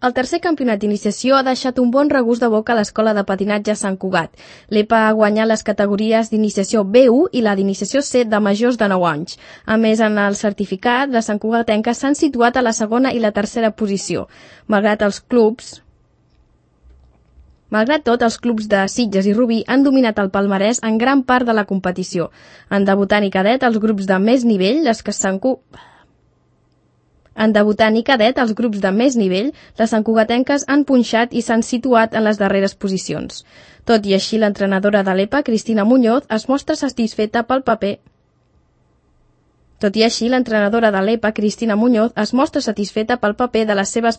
El tercer campionat d'iniciació ha deixat un bon regust de boca a l'Escola de Patinatge Sant Cugat. L'EPA ha guanyat les categories d'iniciació B1 i la d'iniciació C de majors de 9 anys. A més, en el certificat, les santcugatenques s'han situat a la segona i la tercera posició. Malgrat tot, els clubs de Sitges i Rubí han dominat el palmarès en gran part de la competició. En debutant i cadet, els grups de més nivell, les santcugatenques han punxat i s'han situat en les darreres posicions. Tot i així, l'entrenadora de l'EPA, Cristina Muñoz, es mostra satisfeta pel paper de les seves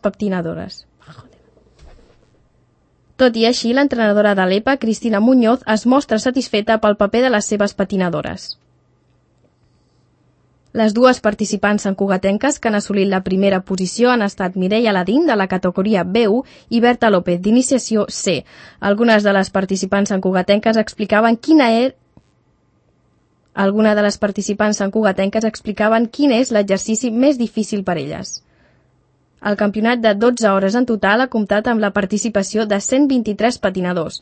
patinadores. Les dues participants santcugatenques que han assolit la primera posició han estat Mireia Ladín, de la categoria B1, i Berta López, d'iniciació C. Algunes de les participants santcugatenques explicaven quin és l'exercici més difícil per elles. El campionat de 12 hores en total ha comptat amb la participació de 123 patinadors.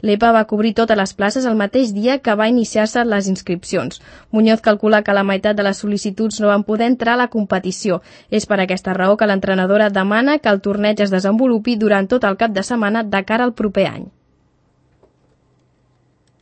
L'EPA va cobrir totes les places el mateix dia que va iniciar-se les inscripcions. Muñoz calcula que la meitat de les sol·licituds no van poder entrar a la competició. És per aquesta raó que l'entrenadora demana que el torneig es desenvolupi durant tot el cap de setmana de cara al proper any.